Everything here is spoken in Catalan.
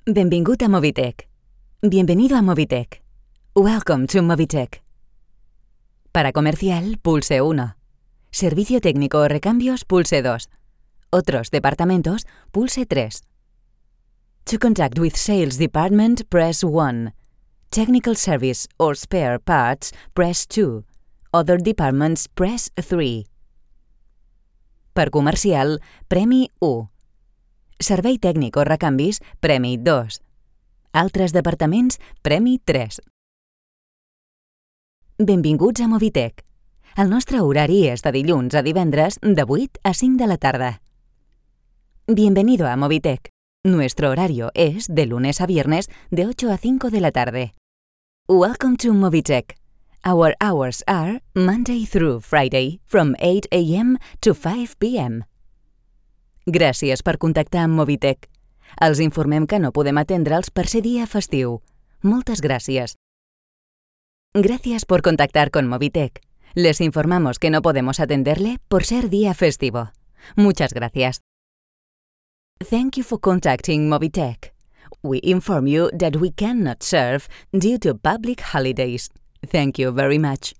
Benvingut a Mobitech. Bienvenido a Mobitech. Welcome to Mobitech. Para comercial, pulse 1. Servicio técnico o recambios, pulse 2. Otros departamentos, pulse 3. To contact with sales department, press 1. Technical service or spare parts, press 2. Other departments, press 3. Per comercial, premi 1. Servei tècnic o recanvis, premi 2. Altres departaments, premi 3. Benvinguts a Mobitech. El nostre horari és de dilluns a divendres de 8 a 5 de la tarda. Bienvenido a Mobitech. Nuestro horario es de lunes a viernes de 8 a 5 de la tarde. Welcome to Mobitech. Our hours are Monday through Friday from 8 a.m. to 5 p.m. Gràcies per contactar amb Mobitech. Els informem que no podem atendre'ls per ser dia festiu. Moltes gràcies. Gracias por contactar con Mobitech. Les informamos que no podemos atenderle por ser día festivo. Muchas gracias. Thank you for contacting Mobitech. We inform you that we cannot serve due to public holidays. Thank you very much.